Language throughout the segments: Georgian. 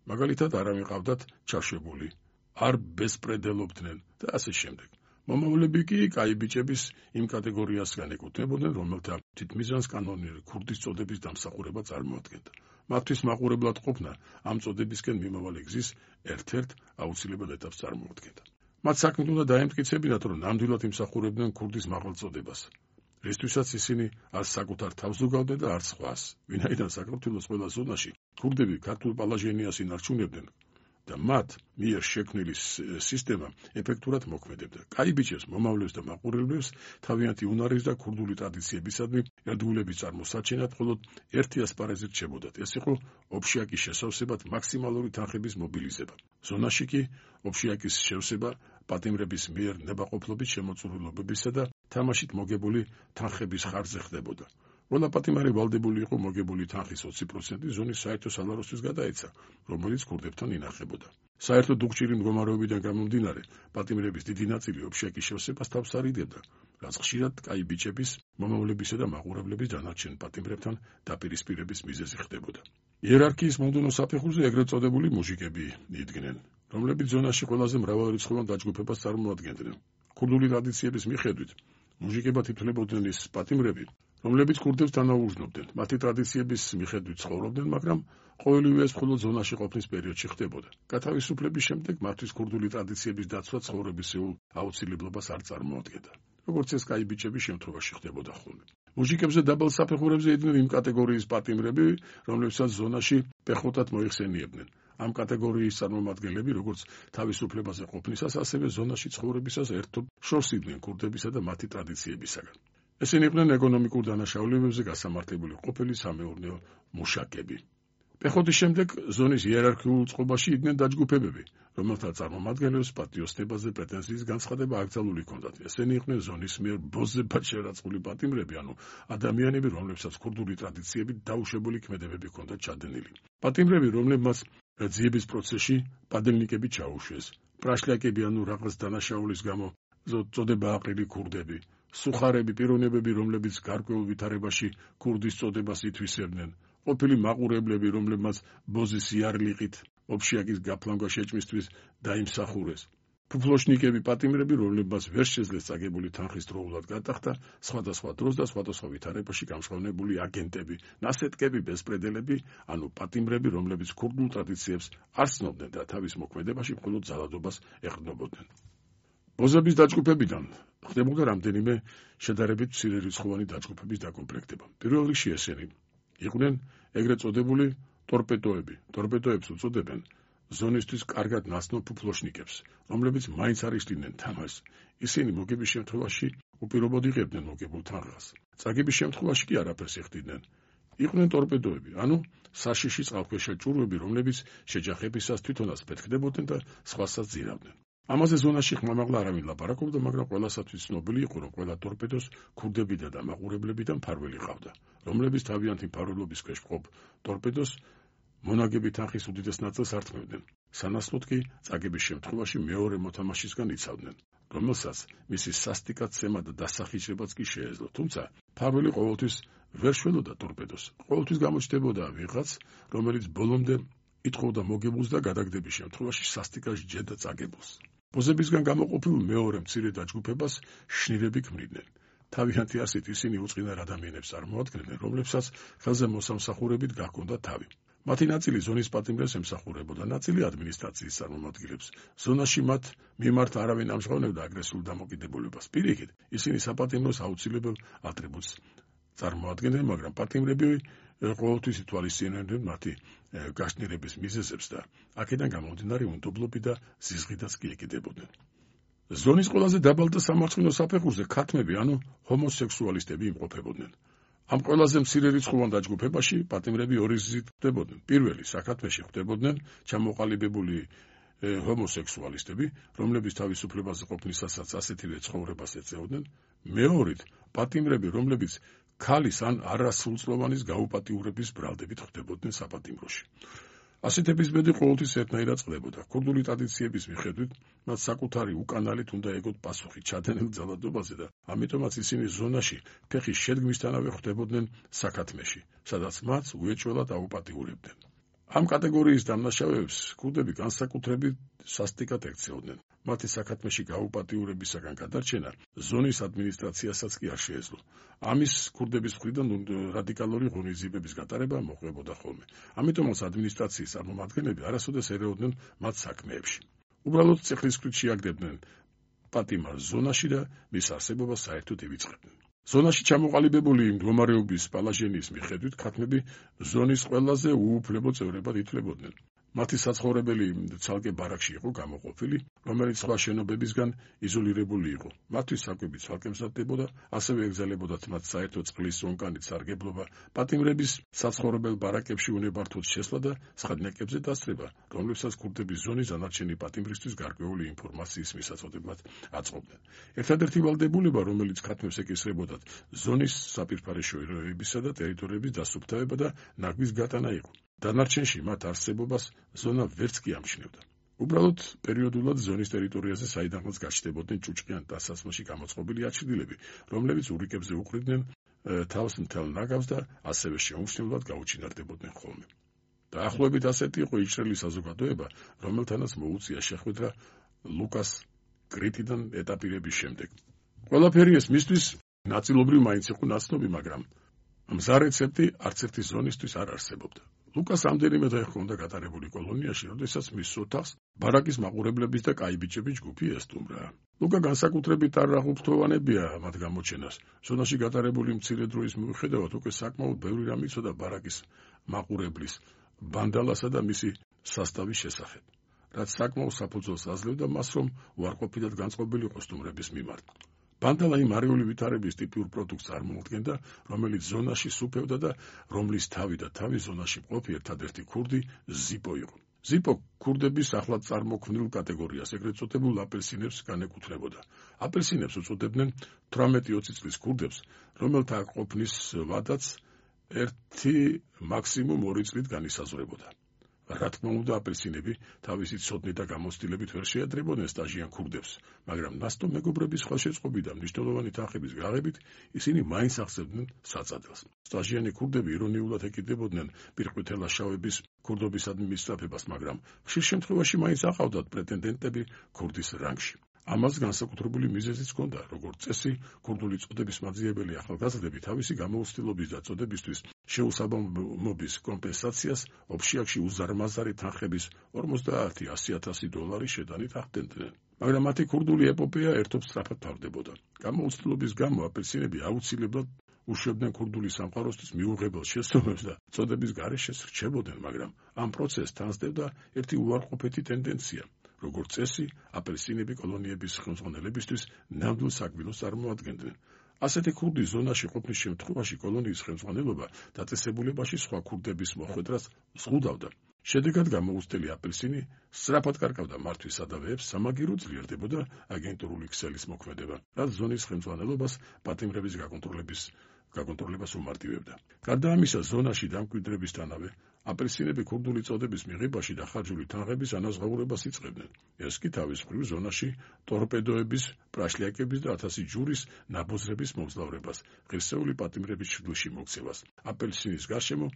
მაგალითად არ ამიყავდათ ჩაშვებული, არ ბესპრედელობდნენ და ასე შემდეგ. მომავლები კი კაი ბიჭების იმ კატეგორიასგან ეკუთვნებოდნენ, რომელთა თითმიზანს კანონიერი ქურდის წოდების დამსახურება წარმოადგენდა. მათთვის მაყურებლად ყოფნა ამ წოდებისკენ მიმავალი გზის ერთ-ერთ აუცილებელ ეტაპს წარმოადგენდა. მათ საქმით უნდა დაემტკიცებინათ, რომ ნამდვილად იმსახურებდნენ ქურდის მაღალ წოდებას, რისთვისაც ისინი არც საკუთარ თავს ზოგავდნენ და არც სხვას, ვინაიდან საქართველოს ყველა ზონაში ქურდები ქართულ პალაჟენიას ინარჩუნებდნენ და მათ მიერ შექმნილი სისტემა ეფექტურად მოქმედებდა. კაი ბიჭებს, მომავლებს და მაყურებლებს თავიანთი უნარის და ქურდული ტრადიციებისადმი ერთგულების წარმოსაჩენად მხოლოდ ერთი ასპარეზი რჩებოდათ. ეს იყო ოფშიაკის შესავსებად მაქსიმალური თანხების მობილიზება. ზონაში კი ოფშიაკის შევსება პატიმრების მიერ ნებაყოფლობის შემოწურულობებისა და თამაშით მოგებული თანხების ხარჯზე ხდებოდა. ყველა პატიმარი ვალდებული იყო მოგებული თანხის 20% ზონის საერთო სალაროსთვის გადაეცა, რომელიც ქურდებთან ინახებოდა. საერთო დუღჭირი მდგომარეობიდან გამომდინარე, პატიმრების დიდი ნაწილი ოფშიაკის შევსებას თავს არიდებდა, რაც ხშირად კაი ბიჭების, მომავლებისა და მაყურებლების დანარჩენ პატიმრებთან დაპირისპირების მიზეზი ხდებოდა. იერარქიის მომდევნო საფეხურზე ეგრეთ წოდებული მუჟიკები იდგნენ, რომლებიც ზონაში ყველაზე მრავალრიცხოვან დაჯგუფებას წარმოადგენდნენ. ქურდული ტრადიციების მიხედვით, მუჟიკებად ითვლებოდნენ ის პატიმრები, რომლებიც ქურდებს თანაუგრძნობდნენ. მათი ტრადიციების მიხედვით ცხოვრობდნენ, მაგრამ ყოველივე ეს მხოლოდ ზონაში ყოფნის პერიოდში ხდებოდა. გათავისუფლების შემდეგ მათთვის ქურდული ტრადიციების დაცვა ცხოვრებისეულ აუცილებლობას არ წარმოადგენდა, როგორც ეს კაი ბიჭების შემთხვევაში ხდებოდა ხოლმე. მუჟიკებზე დაბალ საფეხურებზე იდგნენ იმ კატეგორიის პატიმრები, რომლებსაც ზონაში პეხოტად მოიხსენიებდნენ. ამ კატეგორიის წარმომადგენლები, როგორც თავისუფლებაზე ყოფნისას, ასევე ზონაში ცხოვრებისას ერთობ შორს იდგნენ ქურდებისა და მათი ტრადიციებისაგან. ესენი იყვნენ ეკონომიკურ დანაშაულებებზე გასამართლებული ყოფილი სამეურნეო მუშაკები. პეხოთის შემდეგ ზონის იერარქიულ წყობაში იდგნენ დაჯგუფებები, რომელთა წარმომადგენლებს პატიოსნებაზე პრეტენზიის განცხადება აკრძალული ჰქონდათ. ესენი იყვნენ ზონის მიერ ბოზებად შერაცხული პატიმრები, ანუ ადამიანები, რომლებსაც ქურდული ტრადიციებით დაუშვებული ქმედებები ჰქონდათ ჩადენილი. პატიმრები, რომლებმაც ძიების პროცესში პადელნიკები ჩაუშვეს, პრაშლაკები, ანუ რაღაც დანაშაულის გამო წოდება აყრილი ქურდები, სუხარები, პიროვნებები, რომლებიც გარკვეულ ვითარებაში ქურდის წოდებას ითვისებდნენ, ყოფილი მაყურებლები, რომლებმაც ბოზის იარლიყით ოფშიაკის გაფლანგვა შეჭმისთვის დაიმსახურეს, ფუფლოშნიკები, პატიმრები, რომლებმაც ვერ შეძლეს წაგებული თანხის დროულად გატახდა, სხვადასხვა დროს და სხვადასხვა ვითარებაში გამჟღავნებული აგენტები, ნასეტკები, ბესპრედელები, ანუ პატიმრები, რომლებიც ქურდულ ტრადიციებს არ ცნობდნენ და თავის მოქმედებაში მხოლოდ ძალადობას ეყრდნობოდნენ. ბოზების დაჯგუფებიდან ხდებოდა რამდენიმე შედარებით მცირერიცხოვანი დაჯგუფების დაკომპლექტება. პირველ რიგში ესენი იყვნენ ეგრეთ წოდებული ტორპედოები. ტორპედოებს უწოდებენ ზონისთვის კარგად ნაცნობ ფუფლოშნიკებს, რომლებიც მაინც არ იშლიდნენ თამაშს. ისინი მოგების შემთხვევაში უპირობოდ იღებდნენ მოგებულ თანხას. წაგების შემთხვევაში კი არაფერს იხდიდნენ. იყვნენ ტორპედოები, ანუ საშიში წყალქვეშა ჭურვები, რომლებიც შეჯახებისას თვითონაც ფეთქდებოდნენ და სხვასაც ძირავდნენ. ამაზე ზონაში ხმამაღლა არავინ ლაპარაკობდა, მაგრამ ყველასათვის ცნობილი იყო, რომ ყველა ტორპედოს ქურდებიდან და მაყურებლებიდან მფარველი ყავდა, რომლებიც თავიანთი მფარველობის ქვეშ მყოფ ტორპედოს მონაგები თანხის უდიდეს ნაწილს ართმევდნენ. სანაცვლოდ კი წაგების შემთხვევაში მეორე მოთამაშისგან იცავდნენ, რომელსაც მისი სასტიკად-ცემა და დასახიჭრებაც კი შეეძლო. თუმცა მფარველი ყოველთვის ვერ შველოდა ტორპედოს. ყოველთვის გამოჩნდებოდა ვიღაც, რომელიც ბოლომდე ითხოვდა მოგებულს და გადაგდების შემთხვევაში სასტიკად ჯედა წაგებულს. ბოზებისგან გამოყოფილ მეორე მცირე დაჯგუფებას შნირები ქმნიდნენ. თავიანთი არსით ისინი უწყინარ ადამიანებს წარმოადგენდნენ, რომლებსაც ხელზე მოსამსახურებით გაჰქონდა თავი. მათი ნაწილი ზონის პატიმრებს ემსახურებოდა, ნაწილი ადმინისტრაციის წარმომადგენლებს. ზონაში მათ მიმართ არავინ ამჟღავნებდა აგრესიულ დამოკიდებულებას. პირიქით, ისინი საპატიმროს აუცილებელ ატრიბუტს წარმოადგენდნენ, მაგრამ პატიმრები ყოველთვის ითვალისწინებდნენ მათი გაშნირების მიზეზებს და აქედან გამომდინარე უნდობლობი და ზიზღიდაც კი ეკიდებოდნენ. ზონის ყველაზე დაბალ და სამარცხინო საფეხურზე ქათმები, ანუ ჰომოსექსუალისტები იმყოფებოდნენ. ამ ყველაზე მცირერიცხოვან დაჯგუფებაში პატიმრები ორი გზით ხდებოდნენ. პირველი საქათმეში ხდებოდნენ ჩამოყალიბებული ჰომოსექსუალისტები, რომლებიც თავისუფლებაზე ყოფნისასაც ასეთივე ცხოვრებას ეწეოდნენ. მეორით პატიმრები, რომლებიც ქალის ან არასრულწლოვანის გაუპატიურების ბრალდებით ხდებოდნენ საპატიმროში. ასეთების ბედი ყოველთვის ერთნაირად წყდებოდა. ქურდული ტრადიციების მიხედვით მათ საკუთარი უკანალით უნდა ეგოთ პასუხი ჩადენილ ძალადობაზე და ამიტომაც ისინი ზონაში ფეხის შედგმისთანავე ხდებოდნენ საქათმეში, სადაც მათ უეჭველად აუპატიურებდნენ. ამ კატეგორიის დამნაშავეებს ქურდები განსაკუთრებით სასტიკად ექცეოდნენ. მათი საქათმეში გაუპატიურებისაგან გადარჩენა ზონის ადმინისტრაციასაც კი არ შეეძლო. ამის ქურდების მხრიდან რადიკალური ღონისძიებების გატარება მოყვებოდა ხოლმე. ამიტომაც ადმინისტრაციის წარმომადგენლები არასოდეს ერეოდნენ მათ საქმეებში. უბრალოდ წეხლისქვით შეაგდებდნენ პატიმარ ზონაში და მის არსებობას საერთოდ ივიწყებდნენ. ზონაში ჩამოყალიბებული მდგომარეობის პალაჟენის მიხედვით ქათმები ზონის ყველაზე უუფლებო წევრებად ითვლებოდნენ. მათი საცხოვრებელი ცალკე ბარაკში იყო გამოყოფილი, რომელიც სხვა შენობებისგან იზოლირებული იყო. მათთვის საკვები ცალკე მზადდებოდა, ასევე ეგზალებოდათ მათ საერთო წყლის ონკანით სარგებლობა, პატიმრების საცხოვრებელ ბარაკებში უნებართვოდ შესვლა და სხდნეკებზე დასწრება, რომლებსაც ქურდების ზონის დანარჩენი პატიმრისთვის გარკვეული ინფორმაციის მისაწოდებად აწყობდნენ. ერთადერთი ვალდებულება, რომელიც ქათმებს ეკისრებოდათ, ზონის საპირფარეშო ეროებისა და ტერიტორიების დასუფთავება და ნაგვის გატანა იყო. დანარჩენში მათ არსებობას ზონა ვერც კი ამჩნევდა. უბრალოდ პერიოდულად ზონის ტერიტორიაზე საიდანაც გაჩნდებოდნენ ჭუჭყიან დასასმოში გამოწყობილი აჩრდილები, რომლებიც ურიკებზე უყრიდნენ თავს მთელ ნაგავს და ასევე შეუმჩნევლად გაუჩინარდებოდნენ ხოლმე. დაახლოებით ასეთი იყო იჭრელი საზოგადოება, რომელთანაც მოუწია შეხვედრა ლუკას კრიტიდან ეტაპირების შემდეგ. ყველაფერი ეს მისთვის ნაწილობრივ მაინც იყო ნაცნობი, მაგრამ მზა რეცეპტი არც ერთი ზონისთვის არ არსებობდა. ლუკას ამდენიმე დღე ჰქონდა გატარებული კოლონიაში, როდესაც მის ოთახს ბარაკის მაყურებლების და კაიბიჭების ჯგუფი ესტუმრა. ლუკა განსაკუთრებით არ აღუქრთოვანებია მათ გამოჩენას. ზონაში გატარებული მცირე დროის მიუხედავად უკვე საკმაოდ ბევრი რამ იცოდა ბარაკის მაყურებლის, ბანდალასა და მისი სასტავის შესახებ, რაც საკმაოდ საფუძველს აძლევდა მას, რომ უარყოფითად განწყობილი იყო სტუმრების მიმართ. ბანდალა იმ არიული ვითარების ტიპიურ პროდუქტს წარმოადგენდა, რომელიც ზონაში სუფევდა და რომლის თავი და თავი ზონაში მყოფი ერთადერთი ქურდი ზიპო იყო. ზიპო ქურდების ახლად წარმოქმნილ კატეგორიას, ეგრეთ წოდებულ აპელსინებს განეკუთვნებოდა. აპელსინებს უწოდებდნენ 18-20 წლის ქურდებს, რომელთა ყოფნის ვადაც 1 მაქსიმუმ 2 წლით განისაზღვრებოდა. რა თქმა უნდა, აპელსინები თავისი ცოდნით და გამოცდილებით ვერ შეადრებოდნენ სტაჟიან ქურდებს, მაგრამ ნასტო მეგობრების ხელშეწყობით და მნიშვნელოვანი თანხების გაღებით ისინი მაინც აღწევდნენ საწადელს. სტაჟიანი ქურდები ირონიულად ეკიდებოდნენ პირყვითელაშავების ქურდობისადმი მისწრაფებას, მაგრამ ხშირ შემთხვევაში მაინც აყავდათ პრეტენდენტები ქურდის რანგში. ამას განსაკუთრებული მიზეზიც ჰქონდა, როგორც წესი, ქურდული წოდების მაძიებელი ახალგაზრდები თავისი გამოუცდილობის და წოდებისთვის შეუსაბამობის კომპენსაციას ოფშიაქში უზარმაზარი თანხების 50-100,000 დოლარი შედანით ახდენდნენ. მაგრამ მათი ქურდული ეპოპეა ერთობ სწრაფად თავდებოდა. გამოუცდილობის გამო აპელსინები აუცილებლად უშვებდნენ ქურდული სამყაროსთვის მიუღებელ შესწავლებს და წოდების გარეშე რჩებოდნენ, მაგრამ ამ პროცესს თანსდებდა ერთი უარყოფითი ტენდენცია. როგორც წესი, აპელსინები კოლონიების ხელმძღვანელებისთვის ნამდვილ საკვირველს წარმოადგენდნენ. ასეთი ქურდი ზონაში ყოფნის შემთხვევაში კოლონიის ხელმძღვანელობა დაწესებულებაში სხვა ქურდების მოხვედრას ზღუდავდა. შედეგად გამოუცდელი აპელსინი სწრაფად კარგავდა მართვის სადავეებს, სამაგირო ძლიერდებოდა აგენტურული ქსელის მოქმედება, რაც ზონის ხელმძღვანელობას პატიმრების გაკონტროლებას უმარტივებდა. გარდა ამისა, ზონაში დამკვიდრებისთანავე აპელსინები ქურდული წოდების მიღებაში დახარჯული თანხების ანაზღაურებას იწყებდნენ. ეს კი თავის მხრივ ზონაში ტორპედოების, პრაშლიაკების და 1000 ჯურის ნაბოზრების მოგზაურებას, ღირსეული პატიმრების ჩრდილში მოქცევას, აპელსინის გარშემო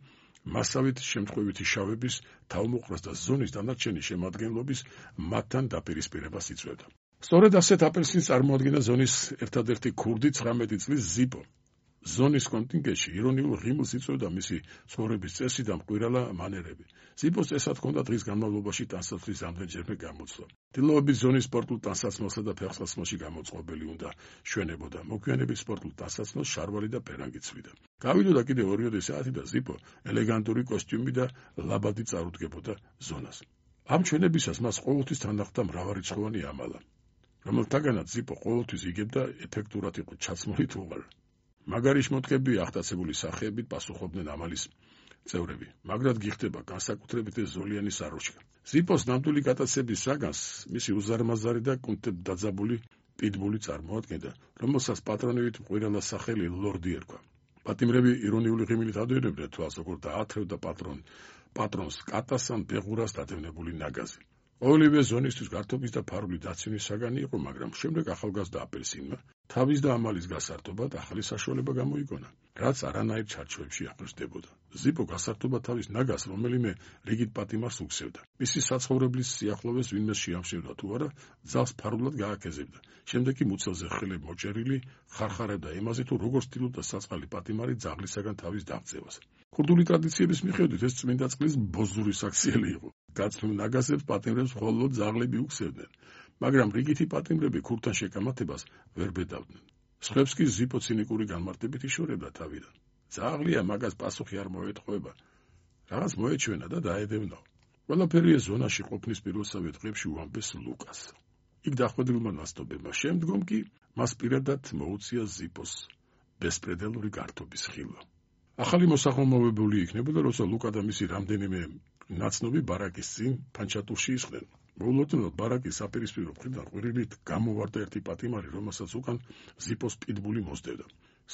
მასავით შემთხვევითი შავების, თავმოყრას და ზონის დანარჩენი შემადგენლობის მათთან დაპირისპირებას იწვევდა. სწორედ ასეთ აპელსინს წარმოადგენდა ზონის ერთადერთი ქურდი 19 წლის ზიპო. ზონის კონტინგენტში ირონიულ ღიმილს იწვევდა მისი ცხოვრების წესი და მკვირალა მანერები. ზიპოს წესად ჰქონდა დღის განმავლობაში ტანსაცმლის ამდენჯერმე გამოცვლა. დილაობით ზონის სპორტულ ტანსაცმელსა და ფეხსაცმელში გამოწყობილი უნდა შვენებოდა. მოგვიანებით სპორტულ ტანსაცმელს შარვალი და პერანგი ცვიდა. გავიდოდა კიდევ 2 საათი და ზიპო ელეგანტური კოსტიუმი და ლაბადი წარუდგებოდა ზონას. ამ ჩვენებისას მას ყოველთვის თან ახლდა მრავალრიცხოვანი ამალა, რომელთაგანაც ზიპო ყოველთვის იგებდა ეფექტურად იყო ჩაცმული თუ არა. მაგარი შემოდგები ახტაცებული სახეებით პასუხობდნენ ამალის წევრები, მაგრად გიხდება განსაკუთრებით ზოლიანი საროჩქა. ზიპოს ნამდვილი გატაცების საგანს მისი უზარმაზარი და კუნთებ დაძაბული პიტბული წარმოადგენდა, რომელსაც პატრონივით მყირალა სახელი ლორდი ერქვა. პატიმრები ირონიული ღიმილით ადევნებდნენ თვალს, როგორ დაათრევდა პატრონს კატას ან ბეღურას დადევნებული ნაგაზი. ყოველივე ზონისთვის გართობის და ფარული დაცემის საგანი იყო, მაგრამ შემდეგ ახალგაზრდა აპელსინმა თავის და ამალის გასართობად ახალი საშუალება გამოიგონა, რაც არანაირ ჩარჩოებში აღნიშნდებოდა. ზიპო გასართობა თავის ნაგას რომელიმე რიგით პატიმარს უგზავდა. მისი საცხოვრებლის სიახლოვეს ვინმე შეამშევდა თუ არა, ძაღლს ფარულად გააკეზებდა. შემდეგ კი მუცელზე ხელები მოჭერილი ხარხარებდა იმაზე, თუ როგორ ცდილობდა საწყალი პატიმარი ძაღლისაგან თავის დაღწევას. ქურდული ტრადიციების მიხედვით ეს წმინდა წყლის ბოზური საქციელი იყო. გაცნულ ნაგაზებს პატიმრებს მხოლოდ ძაღლები უგზავდნენ, მაგრამ რიგითი პატიმრები ქურთან შეკამათებას ვერ ბედავდნენ. სხვებს კი ზიპო ცინიკური განმარტებით იშორებდა თავიდან. ძაღლია, მაგას პასუხი არ მოეთხოვება. რაღაც მოეჩვენა და დაედევნა. ყველაფერი ეს ზონაში ყოფნის პირველსავე დღეებში უამბეს ლუკას. იქ დახვედრილმა ნასტობებმა შემდგომ კი მას პირადად მოუწია ზიპოს ბესპრედელური გართობის ხილვა. ახალი მოსახმოვებული იქნებოდა, როცა ლუკა და მისი რამდენიმე ნაცნობი ბარაკის წინ ფანჩატურში ისხდნენ. მოულოდნელად ბარაკის საპირისპირო მხრიდან ყვირილით გამოვარდა ერთი პატიმარი, რომელსაც უკან ზიპოს პიტბული მოსდევდა.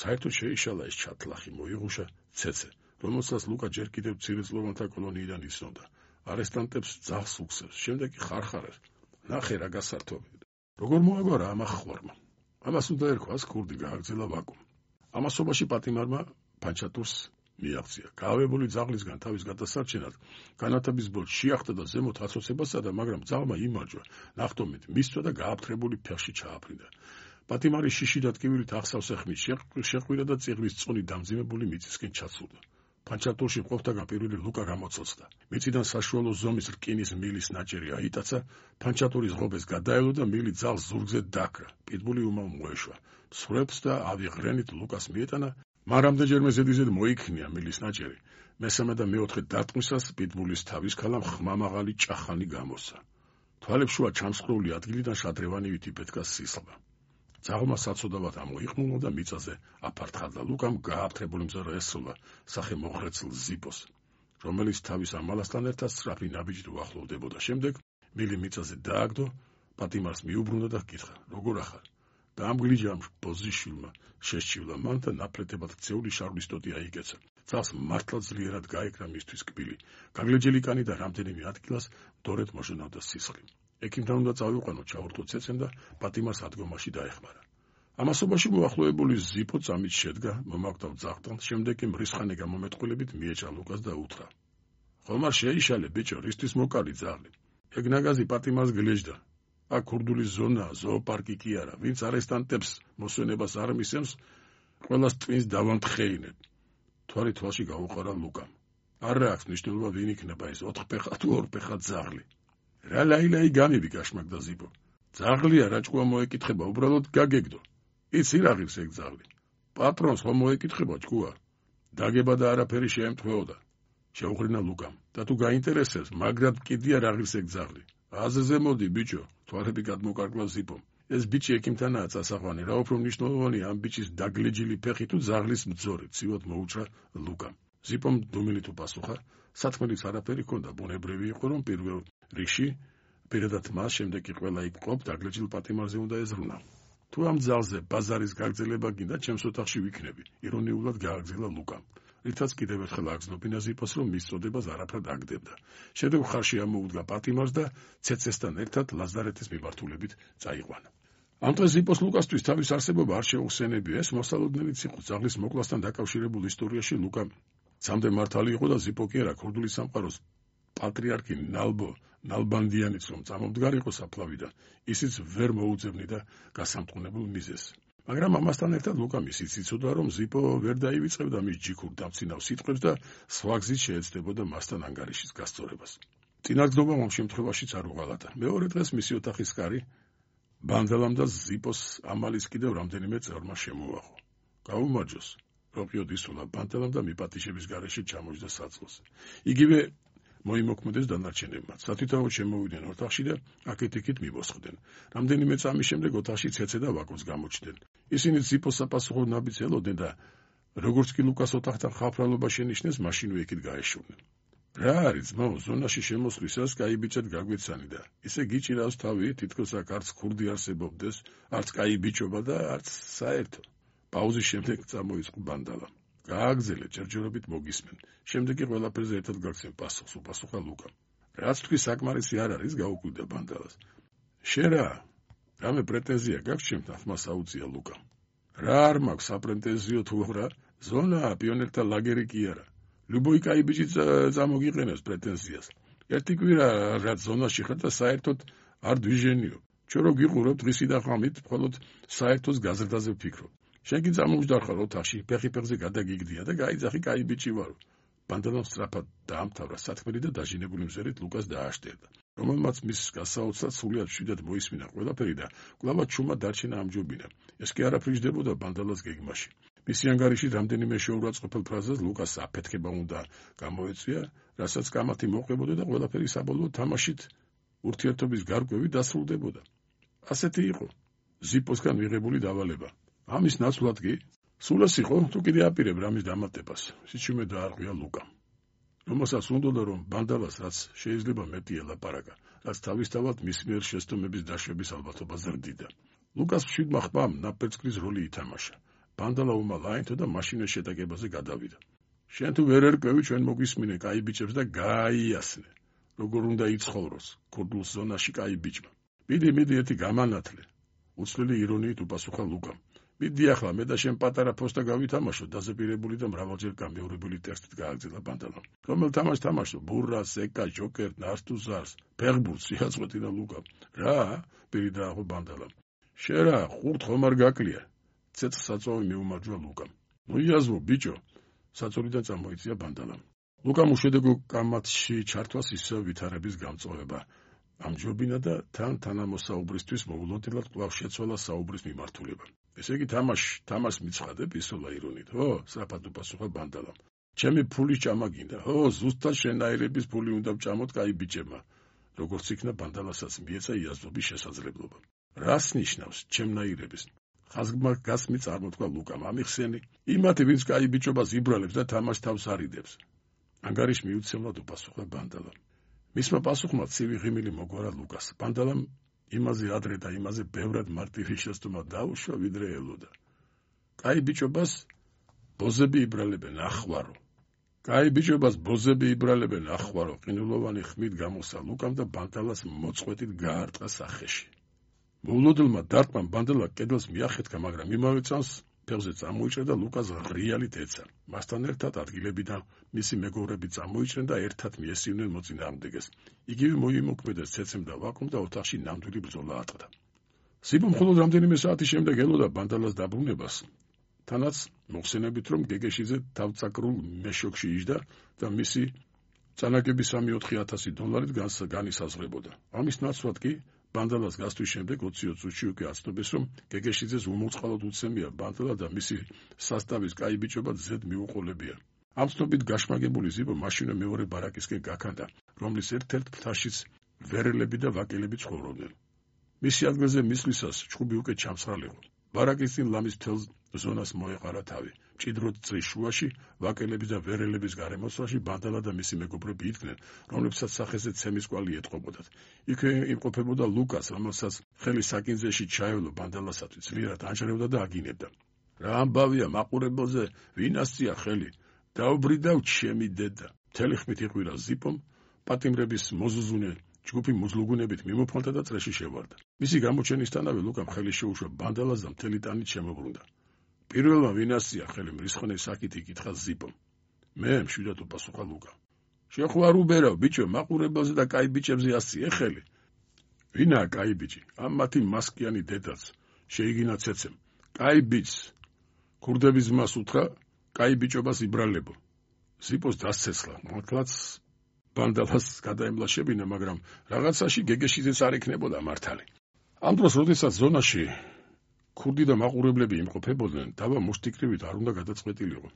საერთოდ შეიშალა ეს ჩათლახი, მოიღუშა ცეცე, რომელსაც ლუკა ჯერ კიდევ მცირეწლოვანთა კოლონიიდან იცნობდა. არესტანტებს ძაღლს უგზავს, შემდეგ კი ხარხარებს. ნახე რა გასართობია. როგორ მოაგვარა ამ ახხვარმა. ამას უნდა ერქვას, ქურდი გააგრძელა ვაკუმ. ამასობაში პატიმარმა ფანჩატურს მიაღწია. გაავებული ძაღლისგან თავის გადასარჩენად განათების ბოლოს შეახტა და ზემოთ აცოცებას სცადა, მაგრამ ძაღლმა იმარჯვა, ნახტომით მისცვა და გააფთრებული ფეხში ჩააფრინდა. პატიმარი შიში და ტკივილით ახსავსე ხმით შეყვირა და წიღლის წონი დამძიმებული მიწისკენ ჩაცურდა. ფანჩატურში მყოფთაგან პირველი ლუკა გამოცოცხლდა. მიწიდან საშუალო ზომის რკინის მილის ნაჭერი აიტაცა, ფანჩატურის ღობეს გადაელო და მილი ძაღლს ზურგზე დაქრა. პიტბული უმალ მოეშვა. მსვრებს და ავიღრენით ლუკას მიეტანა, მაგრამ რამდენჯერმე ზედიზედ მოიქნია მილის ნაჭერი. მესამე და მეოთხე დარტყმისას პიტბულის თავის ქალამ ხმამაღალი ჭახანი გამოსცა. თვალებშუა ჩამსხვრეული ადგილიდან შადრევანივით იფეთქა სისხლმა. ძაღლმა საცოდავად ამოიყმულა და მიწაზე აფართხა. ლუკამ გააფთრებული მზარა ესროლა სახე მოხრეცილ ზიპოს, რომელიც თავის ამალასთან ერთად სწრაფი ნაბიჯით უახლოვდებოდა. შემდეგ მილი მიწაზე დააგდო, პატიმარს მიუბრუნდა და ჰკითხა, როგორ ახარ? და ამ გლიჯამ ბოზიშვილმა შესჩივლა მან და ნაფლეთებად ქცეული შარვის ტოტი აიკეცა. ძაღლს მართლა ძლიერად გაეკრა მისთვის კბილი. გაგლეჯელი კანი და რამდენიმე ადგილას დორეთ მოჟონავდა სისხლი. ექიმთან უნდა წავიყვანო, ჩაურთო ცეცემ და პატიმარს ადგომაში დაეხმარა. ამასობაში მოახლოებული ზიპო წამით შედგა, მომაკვდავ ძაღლთან, შემდეგ კი მრისხანე გამომეტყვილებით მიეჭა ლუკას და უთხრა. ხომარ შეიშალე, ბიჭო, რისთვის მოკალი ძაღლი? ეგ ნაგაზი პატიმარს გლეჯდა. აქ ქურდული ზონაა, ზოოპარკი კი არა. ვინც არესტანტებს მოსვენებას არ მისცემს, ყველას ტვინს დავამთხეინებ. თვალი თვალში გაუყარა ლუკამ. არა აქვს მნიშვნელობა ვინ იქნება ეს 4 ფეხა თუ 2 ფეხა ძაღლი. რა ლაილაი გამები გაშმაგდა ზიპო. ძაღლია რა ჭკუა მოეკითხება, უბრალოდ გაგეგდო. იცი რა ღირს ეგ ძაღლი? პატრონს ხომ მოეკითხება ჭკუა? დაგება და არაფერი შეემთხვეოდა. შეუხრინა ლუკამ. და თუ გაინტერესებს, მაგრად კიდია რა ღირს ეგ ძაღლი. აზზე მოდი ბიჭო, თვალები გადმოკარგლა ზიპომ. ეს ბიჭი ექიმთანაა წასაყვანი, რა უფრო მნიშვნელოვანია ამ ბიჭის დაგლეჯილი ფეხი თუ ძაღლის მძორე, ცივად მოუჭრა ლუკამ. ზიპომ დუმილით უპასუხა, სათქმელიც არაფერი ჰქონდა, ბუნებრივი იყო, რომ პირველ რიგში პირადად მას, შემდეგ კი ყველა იქ მყოფ დაგლეჯილ პატიმარზე უნდა ეზრუნა. თუ ამ ძაღლზე ბაზარის გაგრძელება გინდა, ჩემს ოთახში ვიქნები, ირონიულად გააგრძელა ლუკამ. რითაც კიდევ ერთხელ აგზნობინა ზიპოს, რომ მის წოდებას არაფრად აგდებდა. შემდეგ ხარში ამოუდგა პატიმარს და ცეცესთან ერთად ლაზარეთის მიმართულებით წაიყვანა. ამ დღეს ზიპოს ლუკასთვის თავის არსებობა არ შეუხსენებია. ეს მოსალოდნელიც იყო ძაღლის მოკლასთან დაკავშირებულ ისტორიაში. ლუკა ცამდე მართალი იყო და ზიპო კი არა, ქურდული სამყაროს პატრიარქი ნალბანდიანიც რომ წამომდგარ იყო საფლავიდან, ისიც ვერ მოუძებნიდა გასამტყუნებულ მიზეზს. მაგრამ ამასთან ერთად ლუკა ისიც იცოდა, რომ ზიპო ვერ დაივიწყებდა მის ჯიქურ დამცინავ სიტყვებს და სხვა გზით შეეცდებოდა მასთან ანგარიშის გასწორებას. წინაგრძნობა ამ შემთხვევაშიც არ უღალატა. მეორე დღეს მისი ოთახის კარი ბანდელამ და ზიპოს ამალის კიდევ რამდენიმე წევრმა შემოაღო. გაუმარჯოს, როყიოდ ისულა ბანდელამ და მიპატიშების გარეშე ჩამოჯდა საწყლზე. იგივე მოიმოქმედეს დანარჩენებმა. სათვითაოდ შემოვიდნენ ოთახში და აქეთ-იქით მიბოსხდნენ. რამდენიმე წამის შემდეგ ოთახში ცეცე და ვაკუც გამოჩნდნენ. ისინი ზიპოს საპასუხოდ ნაბიჯს ელოდნენ და როგორც კი ლუკას ოთახთან ხაფრალობა შენიშნეს, მაშინვე იქით გაეშურნენ. რა არის ძმაო, ზონაში შემოსვლისას კაი ბიჭად გაგვეცანი და ისე გიჭირავს თავი, თითქოს აქ არც ქურდი არსებობდეს, არც კაი ბიჭობა და არც საერთო. პაუზის შემდეგ წამოიწყო ბანდალამ. გააგზელე, ჯერჯერობით მოგისმენ. შემდეგ კი ყველაფერზე ერთად გაგცემ პასუხს, უპასუხა ლუკამ. რაც თქვი საკმარისი არ არის, გაუკვირდა ბანდალას. შენ რამე პრეტენზია გაქვს ჩემთან, ხმა საუცია ლუკამ. რა არ მაქვს საპრეტენზიო თუ რა, ზონა პიონერთა ლაგერი კი არა. ლუბოი კაი ბიჭი წამოგიყენებს პრეტენზიას. ერთი კვირა რაც ზონაში ხარ და საერთოდ არ დვიჟენიო. ჩვენ რო გიყურებ დღისი და ღამით, მხოლოდ საერთოს გაზრდაზე ვფიქრობ. შენ კი წამოვჯდარ ხარ ოთახში, ფეხი-ფეხზე გადაგიგდია და გაიძახი კაი ბიჭი ვარო. ბანდალამ სწრაფად დაამთავრა სათქმელი და დაჟინებული მზერით ლუკას დააშტერდა, რომელმაც მის გასაოცრად სულიად მშვიდად მოისმინა ყველაფერი და კვლავ ჩუმა დარჩენა ამჯობინა. ეს კი არაფერი ჯდებოდა ბანდალას გეგმაში. მისი ანგარიში რამდენიმე შეურაცხყოფელ ფრაზას ლუკას აფეთქება უნდა გამოეწვია, რასაც კამათი მოყვებოდა და ყველაფერი საბოლოოდ თამაშით ურთიერთობის გარკვევი დასრულდებოდა. ასეთი იყო ზიპოსგან მიღებული დავალება. ამის ნაცვლად კი სულას იყო თუ კიდე აპირებ რამის დამატებას. სიჩუმე დაარღვია ლუკამ, რომელსაც უნდოდა რომ ბანდალას რაც შეიძლება მეტი ელაპარაკა, რაც თავისთავად მის მიერ შეცდომების დაშვების ალბათობა ზრდიდა. ლუკას მშვიდმა ხმამ ნაპერწკრის როლი ითამაშა. ბანდალა უმალ აინთო და მაშინის შეტაკებაზე გადავიდა. შენ თუ ვერ ერკვევი, ჩვენ მოგვისმინე კაი ბიჭებს და გააიასნე, როგორ უნდა იცხოვროს ქურდულ ზონაში კაი ბიჭმა. მიდი ერთი გამანათლე, უცვლელი ირონიით უპასუხა ლუკამ. მიდი ახლა მე და შენ პატარა ფოსტა გავითამაშო, დაზეპირებული და მრავალჯერ გამეორებული ტექსტით გააგრძელა ბანდალამ. რომელ თამაშს თამაშო? ბურრას, ეკა, ჯოკერ, ნართუზარს, ფეხბურთს იაწყვეტინა ლუკამ. რა? პირი დააღო ბანდალამ. შენ რა, ხურთ ხომ არ გაკლია? ცეცხლ საწვავი მიუმარჯვა ლუკამ. მოიაზმო ბიჭო, საწოლიდან წამოიწია ბანდალამ. ლუკამ უშედეგო კამათში ჩართვას ისევ ვითარების გამწვავება ამჯობინა და თანამოსაუბრისთვის მოულოდნელად კვლავ შეცვალა საუბრის მიმართულება. ესე იგი თამაშს მიცხადებ, ისოლა ირონით, ხო? სწრაფად უპასუხა ბანდალამ. ჩემი ფულის ჭამა გინდა, ხო? ზუსტად შენაირების ფული უნდა ვჭამოთ კაი ბიჭებმა. როგორც იქნა ბანდალასაც მიეცა იაზრობის შესაძლებლობა. რას ნიშნავს ჩემნაირების? ხაზგმა გასმი წარმოთქვა ლუკამ. ამიხსენი იმათი, ვინც კაი ბიჭობას იბრალებს და თამაშს თავს არიდებს. ანგარიშ მიუცემლად უპასუხა ბანდალამ. მისმა პასუხმა ცივი ღიმილი მოგვარა ლუკას. ბანდალამ იმაზე ადრე და იმაზე ბევრად მარტივი შეცდომა დაუშვა, ვიდრე ელოდა. კაი ბიჭობას ბოზები იბრალებენ, ახვარო. კაი ბიჭობას ბოზები იბრალებენ, ახვარო. ყინულოვანი ხმით გამოსა ლუკამ და ბანდალას მოწყვეტით გაარტყა სახეში. მოულოდნელმა დარტყმამ ბანდალა კედელს მიახეთქა, მაგრამ იმავე წამს ფეხზე წამოიჭრა და ლუკას ღრიალით ეცა. მასთან ერთად ადგილებიდან მისი მეგობრები წამოიჭრნენ და ერთად მიესივნენ მოწინააღმდეგეს. იგივე მოიმოქმედეს ცეცემ და ვაკუმ და ოთახში ნამდვილი ბრძოლა ატყდა. სიბო მხოლოდ რამდენიმე საათის შემდეგ ელოდა ბანდალას დაბრუნებას, თანაც მოხსენებით რომ გეგეშიძე თავწაკრულ მეშოქში იჯდა და მისი წანაგები 3-4 $-ით განისაზღვრებოდა. ამის ნაცვლად კი ბანდალას გასთვის შემდეგ 20 წუთში უკვე აცნობეს, რომ გეგეშიძეს უმოწყალოდ უცემია ბანდალა და მისი სასტავის კაი ბიჭობა ზედ მიუყოლებია. ამ ცნობით გაშმაგებული ზიბო მაშინვე მეორე ბარაკისკენ გაქანდა, რომლის ერთ-ერთ ფრთაშიც ვერელები და ვაკელები ცხოვრობდნენ. მისი ადგილზე მისვლისას ჩხუბი უკვე ჩამსრალიყო. ბარაკის წინ ლამის მთელ ზონას მოეყარა თავი. მჭიდროდ წრის შუაში, ვაკელების და ვერელების გარემოსვაში ბანდალა და მისი მეგობრები იდგნენ, რომლებსაც სახეზე ცემის კვალი ეტყობოდათ. იქვე იმყოფებოდა ლუკას, რომელსაც ხელი საკინძეში ჩაევლო ბანდალასათვის, ძლიერად ანჯრევდა და აგინებდა. რა ამბავია მაყურებელზე, ვინ ასწია ხელი? დაუბრიდავ ჩემი დედა. მთელი ხმით იყვირა ზიპომ, პატიმრების მოზუზუნე ჯგუფი მუზლუგუნებით მიმოფხალდა და წრეში შევარდა. მისი გამოჩენისთანავე ლუკამ ხელი შეუშვა ბანდალას და მთელი ტანით შემოbrunდა. პირველმა ვინ ასწია ხელი? მრისხანე საკით იკითხა ზიპომ. მე, მშვიდად უპასუხა ლუკა. შენ ხო არ უბერავ, ბიჭო, მაყურებელზე და კაი ბიჭებზე ასწია ხელი? ვინაა კაი ბიჭი? ამ მათი მასკიანი დედაც შეიგინა ცეცემ. კაი ბიჭს ქურდების მას უთხრა, კაი ბიჭობას იბრალებო. ზიპოს დასცეცხლა, მართლაც ბანდალას გადაემლაშებინა, მაგრამ რაღაცაში გეგეშიძეც არ იქნებოდა მართალი. ამ დროს, როდესაც ზონაში ქურდი და მაყურებლები იმყოფებოდნენ, დავა მუშტიკრივით არ უნდა გადაწყვეტილიყო.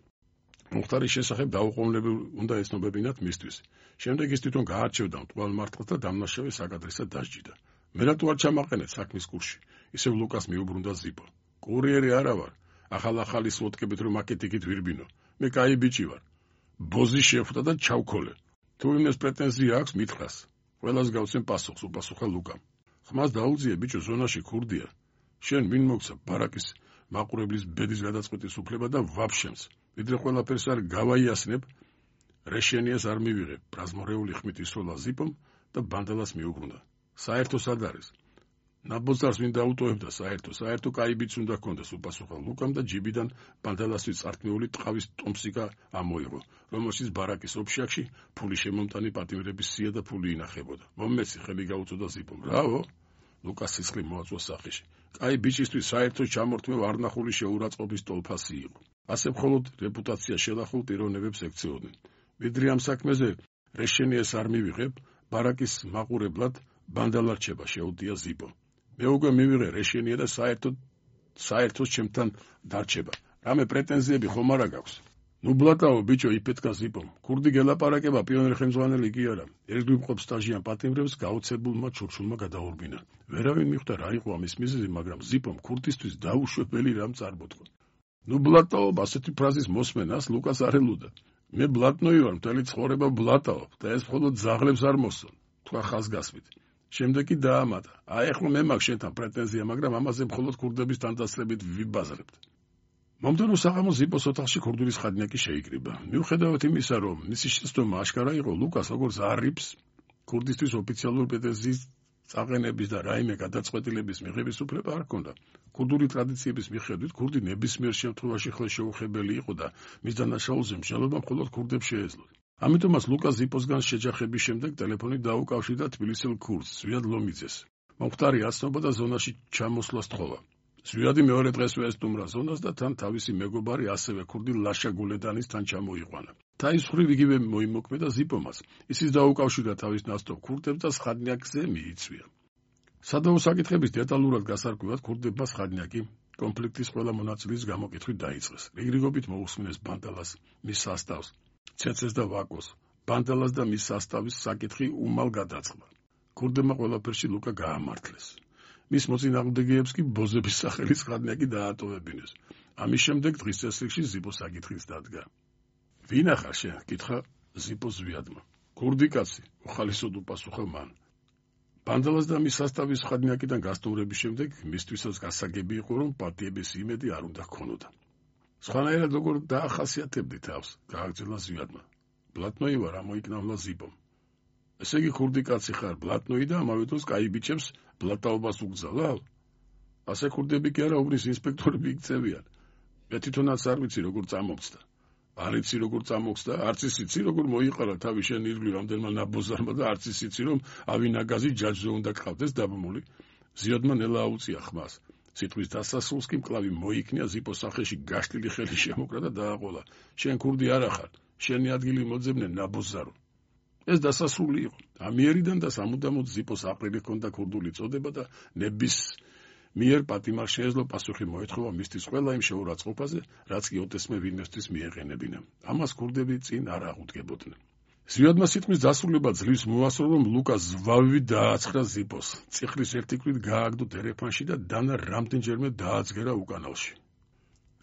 მუხტარის შესახებ დაუყოვნებლივ უნდა ეცნობებინათ მისთვის. შემდეგ ის თვითონ გაარჩევდა მტყუარ მართლს და დამნაშავე საკადრესად დასჯიდა. მე რატო არ ჩამაყენეთ საქმის კურსში? ისევ ლუკას მიუბრუნდა ზიპო. კურიერი არა ვარ. ახალ-ახალი სლოტკებით რომ აკეთ-იქით ვირბინო. მე კაი ბიჭი ვარ. ბოზი შეხვდა და ჩავქოლე. თუ იმეს პრეტენზია აქვს, მითხრას. ყველას გავცემ პასუხს, უპასუხა ლუკამ. ხმას დაუძიე, ბიჭო, ზონაში ქურდია. შენ ვინ მოგცა ბარაკის მაყურებლის ბედის გადაწყვეტის უფლება და ვაფშემს. ვიდრე ყველაფერს არ გავაიასნებ, რეშენიას არ მივიღებ. ბრაზმორეული ხმით ისროლა ზიპომ, და ბანდალას მიუბრუნდა. საერთოს არ არის. ნაბოზარს ვინ დაუტოვებდა საერთო კაი ბიჭს უნდა ჰქონდეს უპასუხა ლუკამ და ჯიბიდან ბანდალასთვის წართმეული ტყავის ტომსიკა ამოიღო, რომელშიც ბარაკის ოფშაქში ფული შემომტანი პატიმრების სია და ფული ინახებოდა. მომეცი ხელი გაუწოდა ზიპომ. რავო, ლუკას სისხლი მოაწვა სახეში. კაი ბიჭისთვის საერთო ჩამორთმევ არნახული შეურაცხყოფის ტოლფასი იყო. ასე მხოლოდ რეპუტაცია შელახულ პიროვნებებს ექცეოდნენ. ვიდრე ამ საქმეზე რეშენიეს არ მივიღებ, ბარაკის მაყურებლად ბანდალა რჩება, შეუդია ზიპო. მე უკვე მივიღე რეშენია და საერთოდ ჩემთან დარჩება. რამე პრეტენზიები ხომ არა გაქვს? ნუ ბლატაო ბიჭო, იფეთქა ზიპომ. ქურდი გელაპარაკება, პიონერი ხელმძღვანელი კი არა. ერთგვარ მყოფ სტაჟიან პატიმრებს გაოცებულმა ჩურჩულმა გადაურბინა. ვერავინ მიხვდა რა იყო ამის მიზეზი, მაგრამ ზიპომ ქურდისთვის დაუშვებელი რამ წარმოთქვა. ნუ ბლატაო, ასეთი ფრაზის მოსმენას ლუკას არ ელოდა. მე ბლატნოი ვარ, მთელი ცხოვრება ბლატაობ და ეს მხოლოდ ძაღლებს არ მოსწონს, თქვა ხაზგასმით. შემდეგ კი დაამატა. აი ახლა მე მაქვს შენთან პრეტენზია, მაგრამ ამაზე მხოლოდ ქურდების თანდასწრებით ვიბაზრებთ. მომდევნო საღამოს ზიპოს ოთახში ქურდული სხადნიაკი შეიკრიბა. მიუხედავად იმისა, რომ მისი შეცდომა აშკარა იყო, ლუკას როგორც არიფს ქურდისთვის ოფიციალური პრეტენზიის წაყენების და რაიმე გადაწყვეტილების მიღების უფლება არ ჰქონდა. ქურდული ტრადიციების მიხედვით ქურდი ნებისმიერ შემთხვევაში ხელშეუხებელი იყო და მის დანაშაულზე მსჯელობა მხოლოდ ქურდებს შეეძლო. ამიტომაც ლუკა ზიპოსგან შეჯახების შემდეგ ტელეფონით დაუკავშირდა თბილისელ ქურდს, ზვიად ლომიძეს. მომხდარი აცნობა და ზონაში ჩამოსვლა სთხოვა. ზვიადი მეორე დღესვე ესტუმრა ზონას და თან თავისი მეგობარი ასევე ქურდი ლაშა გულედანის თან ჩამოიყვანა. თავის მხრივ იგივე მოიმოქმედა ზიპომას. ისიც დაუკავშირდა თავის ნასტობ ქურდებს და სხადნიაკზე მიიწვია. სადავო საკითხების დეტალურად გასარკვევად ქურდებმა სხადნიაკი კონფლიქტის ყველა მონაწილის გამოკითხვით დაიწყეს. რიგრიგობით მოусმინეს ბანდალას, მის სასტავს, ცეცეს და ვაკოს, ბანდალას და მის სასტავის საკითხი უმალ გადაწყდა. ქურდებმა ყველაფერში ლუკა გაამართლეს. მის მოწინააღმდეგეებს კი ბოზების სახელის სხადნიაკი დაატოვებინეს. ამის შემდეგ დღის წესრიგში ზიპოს საკითხიც დადგა. ვინა ხარ შენ? კითხა ზიპოს ზვიადმა. ქურდი კაცი, უხალისოდ უპასუხა მან. ბანდალას და მის სასტავის სხადნიაკიდან გასტუმრების შემდეგ მისთვისაც გასაგები იყო, რომ პარტიების იმედი არ უნდა ჰქონოდა. სხვანაირად როგორ დაახასიათებდი თავს, გააგრძელა ზვიადმა. ბლატნოი ვარ, ამოიკნავლა ზიპომ. ესე იგი ქურდი კაცი ხარ, ბლატნოი და ამავე დროს კაი ბიჭებს ბლატაობას უგზავნავ? ასე ქურდები კი არა, უბნის ინსპექტორები იქცევიან. მე თვითონაც არ ვიცი როგორ წამოგწდა. არ იცი როგორ წამოგწდა, არც იცი როგორ მოიყარა თავი შენ ირგვლივ რამდენმა ნაბოზარმა და არც იცი რომ ავინაგაზი ჯაჯზე უნდა გყავდეს დაბმული. ზიადმა ნელა აუწია ხმას. სიტყვის დასასრულს კი მკლავი მოიქნია, ზიპოს სახეში გაშლილი ხელი შემოკრა და დააყოლა. შენ ქურდი არა ხარ, შენი ადგილი მოძებნე ნაბოზარო. ეს დასასრული იყო. ამიერიდან და სამუდამოდ ზიპოს აყრილი ჰქონდა ქურდული წოდება და ნებისმიერ პატიმარ შეეძლო პასუხი მოეთხოვა მისთვის ყველა იმ შეურაცხყოფაზე, რაც კი ოტესმე ვინმესთვის მიეყენებინა. ამას ქურდები წინ არ აღუდგებოდნენ. ზვიადმა სიტყვის დასრულება ძლივს მოასწრო, რომ ლუკა ზვავით დააცხრა ზიპოს. წიხლის ერთი ქვით გააგდო დერეფანში და დანა რამდენჯერმე დააძგერა უკანალში.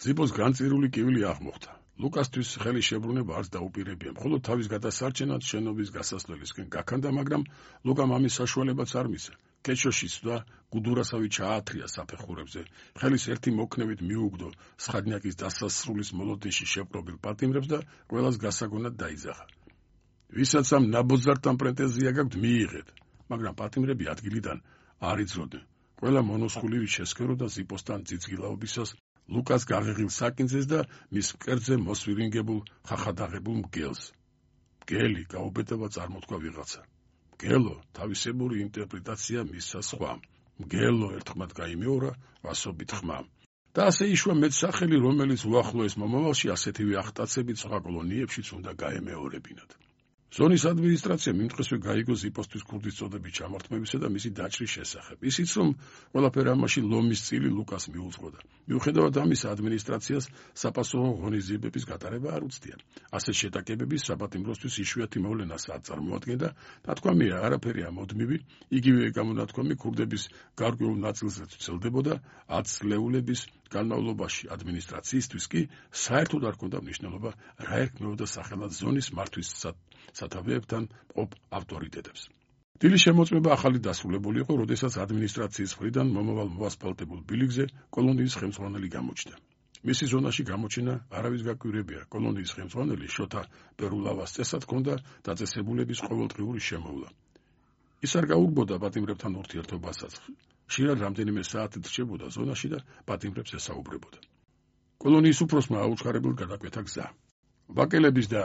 ზიპოს განწირული კივილი აღმოხდა. ლუკასთვის ხელი შებრუნება არც დაუპირებია, მხოლოდ თავის გადასარჩენად შენობის გასასვლელისკენ გაქანდა, მაგრამ ლუკამ ამის საშუალებაც არ მისცა. კეჩოშიც და გუდურასავი ჩაათრია საფეხურებზე. ხელის ერთი მოქნევით მიუგდო სხადნიაკის დასასრულის მოლოდინში შეპყრობილ პატიმრებს და ყველას გასაგონად დაიძახა. ვისაც ამ ნაბოზართან პრეტენზია გაქვთ, მიიღეთ, მაგრამ პატიმრები ადგილიდან არ იძროდნენ. ყველა მონოსხულივით შესქერო და ზიპოსთან ძიძგილაობისას ლუკას გაღიღილ საკინძეს და მის მკერდზე მოსვირინგებულ ხახადაღებულ მგელს. მგელი, გაუბედავა წარმოთქვა ვიღაცა. მგელო, თავისებური ინტერპრეტაცია მისცა სხვამ. მგელო, ერთხმად გაიმეორა, ვასობით ხმამ. და ასე იშვა მეტსახელი, რომელიც უახლოეს მომავალში ასეთივე ახტაცებით სხვა კოლონიებშიც უნდა გაემეორებინათ. ზონის ადმინისტრაცია მიმდღესვე გაიგო ზიპოსთვის ქურდის წოდების ჩამორთმევისა და მისი დაჭრის შესახებ. ისიც რომ ყველაფერი ამაში ლომის წილი ლუკას მიუძღოდა. მიუხედავად ამისა, ადმინისტრაციას საპასუხო ღონისძიებების გატარება არ უცდია. ასეთ შეტაკებების საპატიმროსთვის იშვიათი მოვლენასაც წარმოადგენდა. ნათქვამია, არაფერი ამოდმივი, იგივე გამონათქვამი ქურდების გარკვეულ ნაწილზე ვრცელდებოდა 10 წლეულების განმავლობაში. ადმინისტრაციისთვის კი საერთოდ არ ჰქონდა მნიშვნელობა, რა ერქმეოდა სახელად ზონის მართვის სათავეებთან მყოფ ავტორიტეტებს. დილის შემოწმება ახალი დასრულებული იყო, როდესაც ადმინისტრაციის მხრიდან მომავალ მოასფალტებულ ბილიკზე კოლონიის ხელმძღვანელი გამოჩნდა. მისი ზონაში გამოჩენა არავის გაკვირებია. კოლონიის ხელმძღვანელი შოთა პერულავას წესად ჰქონდა დაწესებულების ყოველდღიური შემოვლა. ის არ გაურბოდა პატიმრებთან ურთიერთობასაც. ხშირად რამდენიმე საათით რჩებოდა ზონაში და პატიმრებს ესაუბრებოდა. კოლონიის უფროსმა აუჩქარებულ გადაკვეთა გზა. ვაკელების და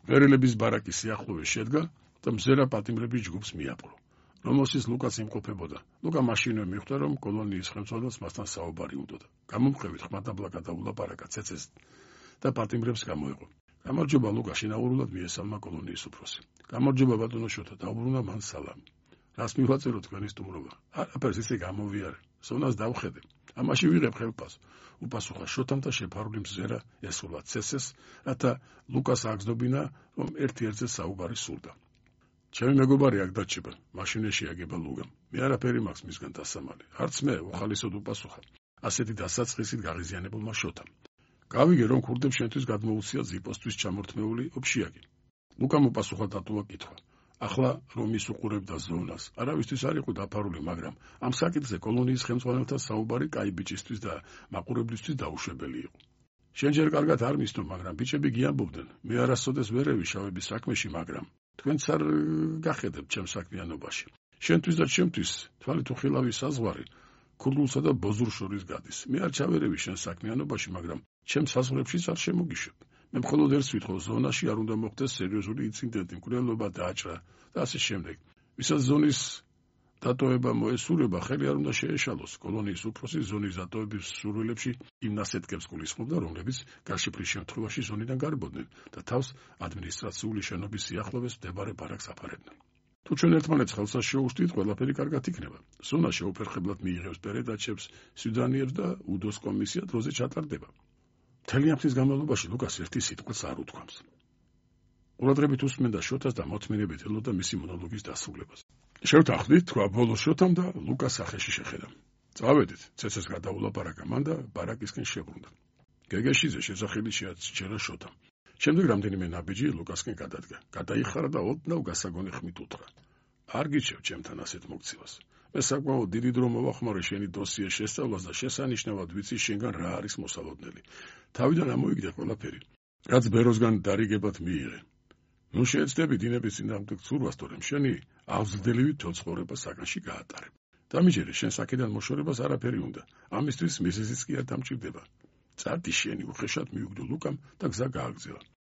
ვერელების ბარაკის სიახლოვეს შედგა და მზერა პატიმრების ჯგუფს მიაპყრო, რომელშიც ლუკას იმყოფებოდა. ლუკა მაშინვე მიხვდა, რომ კოლონიის ხელმძღვანელს მასთან საუბარი უნდოდა. გამომხევით ხმადაბლა გადაულაპარაკა ცეცეს და პატიმრებს გამოეყო. გამარჯობა ლუკა, შინაურულად მიესალმა კოლონიის უფროსი. გამარჯობა ბატონო შოთა, დაუბრუნა მან სალამი. რას მივაწერო თქვენი სტუმრობა? არაფერს, ისე გამოვიარე. ზონას დავხედე. ამაში ვიღებ ხელფას. უპასუხა შოთამ და შეფარული მზერა ესულა ცესეს, რათა ლუკას აგზნობინა, რომ ერთ-ერთზე საუბარი სურდა. ჩემი მეგობარი აქ დაჩება, მაშინვე შეაგება ლუკამ. მე არაფერი მაქვს მისგან დასამალი. არც მე, უხალისოდ უპასუხა. ასეთი დასაწყისით გაღიზიანებულმა შოთამ. გავიგე, რომ ქურდებს შენთვის გადმოუცია ზიპოსთვის ჩამორთმეული ოფშიაკი. ლუკამ უპასუხა დატოვა კითხვა. ახლა რომ ის უყურებდა ზონას, არავისთვის არ იყო დაფარული, მაგრამ ამ საკითხზე კოლონიის ხელმძღვანელთან საუბარი კაი ბიჭისთვის და მაყურებლისთვის დაუშვებელი იყო. შენ ჯერ კარგად არ მისდო, მაგრამ ბიჭები გიამბობდნენ, მე არასოდეს ვერევი შავების საქმეში, მაგრამ თქვენც არ გახედებთ ჩემ საქმიანობაში. შენთვის და ჩემთვის თვალი თუ ხილავი საზღვარი ქურდულსა და ბოზურ შორის გადის. მე არ ჩავერევი შენ საქმიანობაში, მაგრამ ჩემ საზღვრებშიც არ შემოგიშვებ. მე მხოლოდ ერთს ვითხოვ, ზონაში არ უნდა მოხდეს სერიოზული ინციდენტი, მკვლელობა დააჭრა და ასე შემდეგ. ვისაც ზონის დატოვება მოესურვება, ხელი არ უნდა შეეშალოს. კოლონიის უფროსი ზონის დატოვების სურვილებში იმ ნასეთკებს გულისხმობდა, რომლებიც გარშიფრის შემთხვევაში ზონიდან გარბოდნენ და თავს ადმინისტრაციული შენობის სიახლოვეს მდებარე ბარაკს აფარებდნენ. თუ ჩვენ ერთმანეთს ხელსას შეუშვით, ყველაფერი კარგად იქნება. ზონა შეუფერხებლად მიიღებს პერედაჩებს, სუდანიებს და უდოს კომისია დროზე ჩატარდება. მთელი ამ ხნის განმავლობაში ლუკას ერთი სიტყვაც არ უთქვამს. ყურადღებით უსმენდა შოთას და მოწმინებით ელოდა მისი მონოლოგის დასრულებას. შევთანხმდით, თქვა ბოლო შოთამ და ლუკას სახეში შეხედა. წავედით, ცეცეს გადაულაპარაკა მან და ბარაკისკენ შებრუნდა. გეგეშიძე შესახელი შეაჩერა შოთამ. შემდეგ რამდენიმე ნაბიჯი ლუკასკენ გადადგა. გადაიხარა და ოდნავ გასაგონი ხმით უთხრა. არ გიჩევ ჩემთან ასეთ მოგცევას. მე საკმაოდ დიდი დრო მოვახმარე შენი დოსიეს შესწავლას და შესანიშნავად ვიცი შენგან რა არის მოსალოდნელი. თავიდან ამოიგდე ყველაფერი, რაც ბეროსგან დარიგებად მიიღე. ნუ შეეცდები დინების წინააღმდეგ ცურვას, თორემ შენი აღზრდელივი თვალცხოვრება საგანში გაატარებ. დამიჯერე, შენ საკიდან მოშორებას არაფერი უნდა. ამისთვის მიზეზიც კი არ დამჭირდება. წარდი შენი, უხეშად მიუგდო ლუკამ და გზა გააგზავნა.